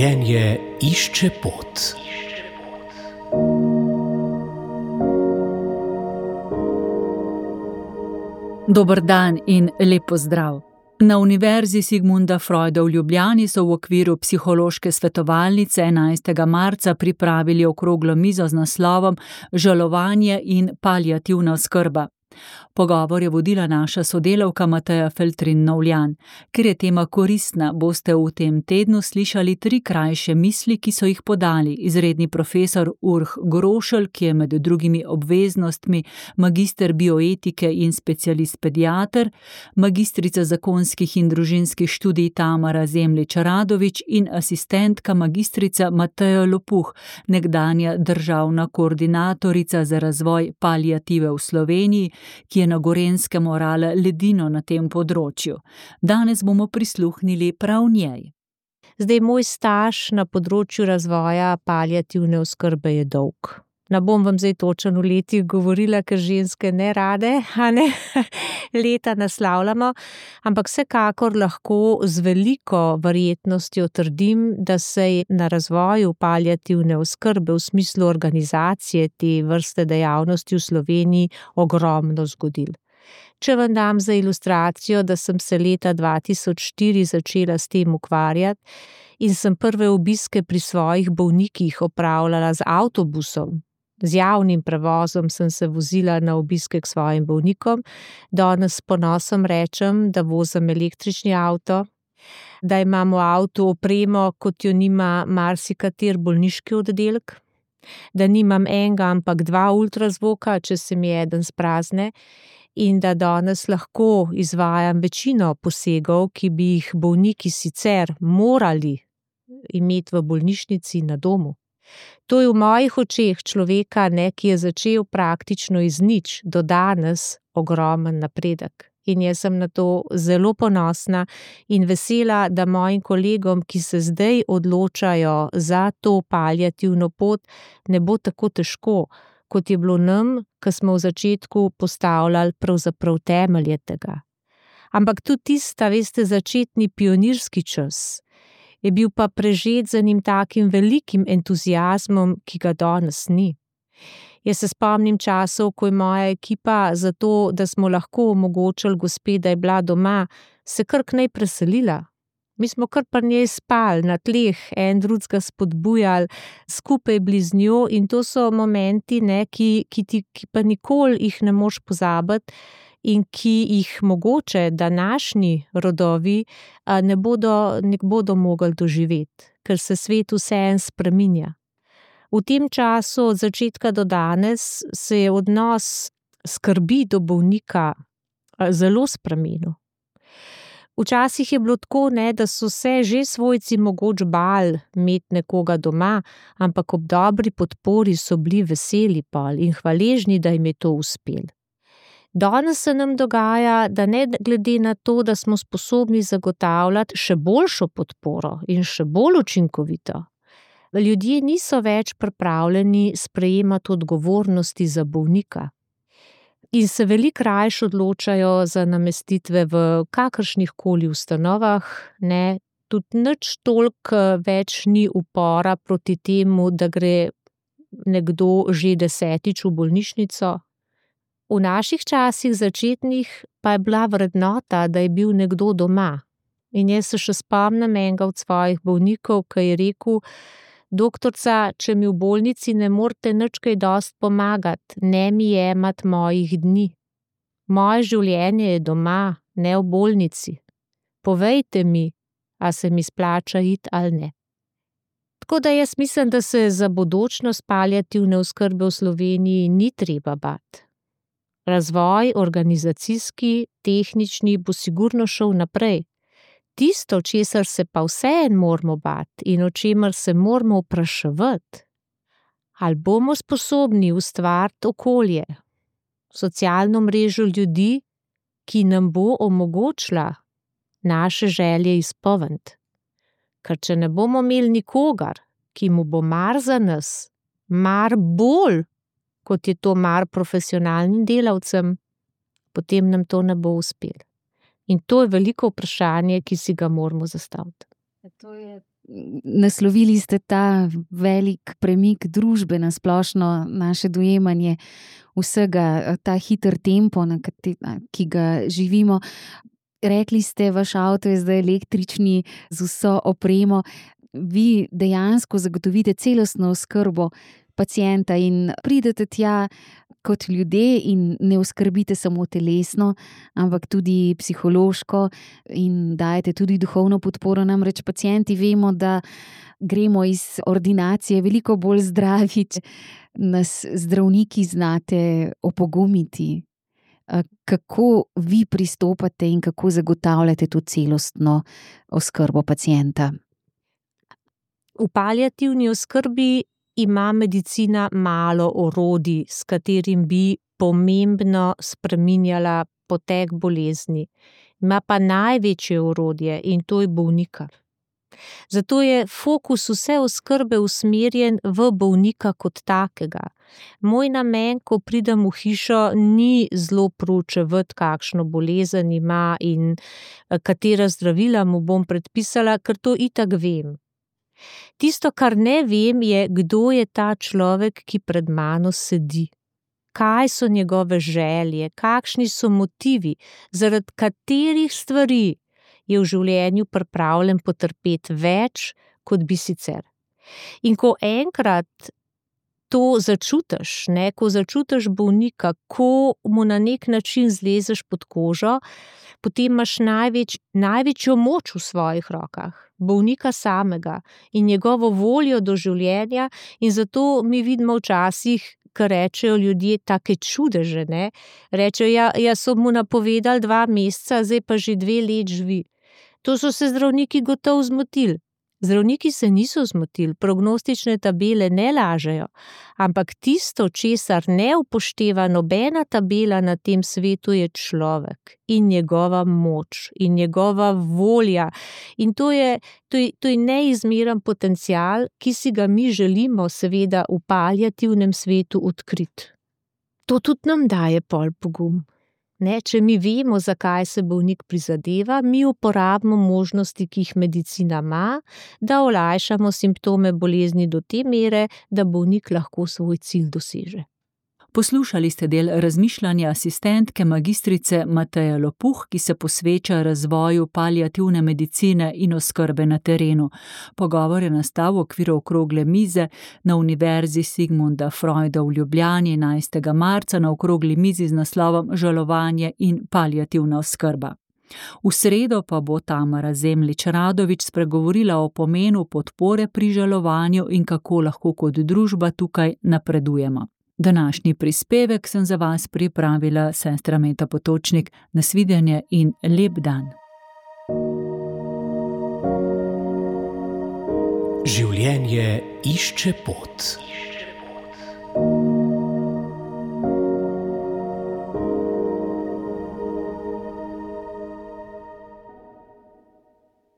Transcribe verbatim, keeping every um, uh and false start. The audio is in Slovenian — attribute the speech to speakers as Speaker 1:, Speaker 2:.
Speaker 1: Življenje išče pot.
Speaker 2: Dober dan in lep pozdrav. Na Univerzi Sigmunda Freuda v Ljubljani so v okviru psihološke svetovalnice enajstega marca pripravili okroglo mizo z naslovom Žalovanje in paliativna oskrba. Pogovor je vodila naša sodelavka Mateja Feltrin-Novljan. Ker je tema koristna, boste v tem tednu slišali tri krajše misli, ki so jih podali izredni profesor Urh Grošelj, ki je med drugimi obveznostmi magister bioetike in specialist pediater, magistrica zakonskih in družinskih študij Tamara Zemljič-Radovič in asistentka magistrica Mateja Lopuh, nekdanja državna koordinatorica za razvoj paliative v Sloveniji, ki je na Gorenjskem orala ledino na tem področju. Danes bomo prisluhnili prav njej.
Speaker 3: Zdaj, moj staž na področju razvoja paliativne oskrbe je dolg. Ne bom vam zdaj točno v letih govorila, ker ženske ne rade, a ne, leta naslavljamo, ampak vsekakor lahko z veliko verjetnostjo trdim, da se je na razvoju paliativne oskrbe v smislu organizacije te vrste dejavnosti v Sloveniji ogromno zgodilo. Če vam dam za ilustracijo, da sem se leta dva tisoč štiri začela s tem ukvarjati in sem prve obiske pri svojih bolnikih opravljala z avtobusom, z javnim prevozom sem se vozila na obiske k svojim bolnikom, danes s ponosom rečem, da vozim električni avto, da imam v avtu opremo, kot jo nima marsikater bolniški oddelek, da nimam enega, ampak dva ultrazvoka, če se mi eden sprazne, in da danes lahko izvajam večino posegov, ki bi jih bolniki sicer morali imeti v bolnišnici na domu. To je v mojih očeh človeka, ne, ki je začel praktično iz nič do danes ogromen napredek. In jaz sem na to zelo ponosna in vesela, da mojim kolegom, ki se zdaj odločajo za to paliativno pot, ne bo tako težko, kot je bilo nam, ko smo v začetku postavljali pravzaprav temelje tega. Ampak tudi tista, veste, začetni pionirski čas je bil pa prežet z enim takim velikim entuziazmom, ki ga danes ni. Jaz se spomnim časov, ko je moja ekipa za to, da smo lahko omogočili gospe, da je bila doma, se kar k njej preselila. Mi smo kar pri njej spali na tleh, en drugega spodbujali, skupaj bili z njo in to so momenti, ne, ki, ki, ti, ki pa nikoli jih ne moš pozabiti in ki jih mogoče današnji rodovi ne bodo, ne bodo mogli doživeti, ker se svet vseeno spreminja. V tem času od začetka do danes se je odnos skrbi do bolnika zelo spremenil. Včasih je bilo tako, ne, da so se že svojci mogoče bali imeti nekoga doma, ampak ob dobri podpori so bili veseli pol in hvaležni, da jim je to uspelo. Danes se nam dogaja, da ne glede na to, da smo sposobni zagotavljati še boljšo podporo in še bolj učinkovito, ljudje niso več pripravljeni sprejemati odgovornosti za bolnika in se veliko rajš odločajo za namestitve v kakršnih koli ustanovah, ne, tudi nič toliko več ni upora proti temu, da gre nekdo že desetič v bolnišnico. V naših časih začetnih pa je bila vrednota, da je bil nekdo doma. In jaz se še spomnim enega od svojih bolnikov, ki je rekel: doktorca, če mi v bolnici ne morete nič kaj dosti pomagati, ne mi jemati mojih dni. Moje življenje je doma, ne v bolnici. Povejte mi, a se mi splača iti ali ne. Tako da jaz mislim, da se za bodočnost paliativne oskrbe v Sloveniji ni treba bati. Razvoj organizacijski, tehnični bo sigurno šel naprej. Tisto, česar se pa vseeno moramo bati in o čemer se moramo vpraševati, ali bomo sposobni ustvariti okolje, socialno mrežo ljudi, ki nam bo omogočila naše želje izpolniti. Ker če ne bomo imeli nikogar, ki mu bo mar za nas, mar bolj, kot je to mar profesionalnim delavcem, potem nam to ne bo uspelo. In to je veliko vprašanje, ki si ga moramo zastaviti.
Speaker 2: To je
Speaker 4: naslovili ste ta velik premik družbe na splošno, naše dojemanje vsega, ta hiter tempo, na kateri, ki ga živimo. Rekli ste, vaš avto je zdaj električni z vso opremo. Vi dejansko zagotovite celostno oskrbo pacienta in pridete tja kot ljudje in ne oskrbite samo telesno, ampak tudi psihološko in dajete tudi duhovno podporo. Namreč pacienti vemo, da gremo iz ordinacije veliko bolj zdravi, če nas zdravniki znate opogumiti. Kako vi pristopate in kako zagotavljate to celostno oskrbo pacienta?
Speaker 3: V paliativni oskrbi ima medicina malo orodij, s katerim bi pomembno spreminjala potek bolezni. Ima pa največje orodje in to je bolnika. Zato je fokus vse oskrbe usmerjen v bolnika kot takega. Moj namen, ko pridem v hišo, ni zelo proučevati, kakšno bolezen ima in katera zdravila mu bom predpisala, ker to itak vem. Tisto, kar ne vem, je, kdo je ta človek, ki pred mano sedi. Kaj so njegove želje, kakšni so motivi, zaradi katerih stvari je v življenju pripravljen potrpeti več, kot bi sicer. In ko enkrat to začutiš, ne, ko začutiš bolnika, ko mu na nek način zlezeš pod kožo, potem imaš največ, največjo moč v svojih rokah, bolnika samega in njegovo voljo do življenja, in zato mi vidimo včasih, kar rečejo ljudje, take čudeže, ne, rečejo, ja, ja so mu napovedali dva meseca, zdaj pa že dve let živi. To so se zdravniki gotovo zmotili. Zdravniki se niso zmotili, prognostične tabele ne lažejo, ampak tisto, česar ne upošteva nobena tabela na tem svetu, je človek in njegova moč in njegova volja. In to je, to je, to je neizmeren potencial, ki si ga mi želimo seveda v paliativnem svetu odkriti. To tudi nam daje pol pogum. Ne, če mi vemo, zakaj se bolnik prizadeva, mi uporabimo možnosti, ki jih medicina ima, da olajšamo simptome bolezni do te mere, da bolnik lahko svoj cilj doseže.
Speaker 2: Poslušali ste del razmišljanja asistentke magistrice Mateje Lopuh, ki se posveča razvoju paliativne medicine in oskrbe na terenu. Pogovor je nastal v okviru okrogle mize na Univerzi Sigmunda Freuda v Ljubljani enajstega marca na okrogli mizi z naslovom Žalovanje in paliativna oskrba. V sredo pa bo Tamara Zemljič-Radovič spregovorila o pomenu podpore pri žalovanju in kako lahko kot družba tukaj napredujemo. Današnji prispevek sem za vas pripravila sestra Meta Potočnik. Nasvidenje in lep dan.
Speaker 1: Življenje išče pot.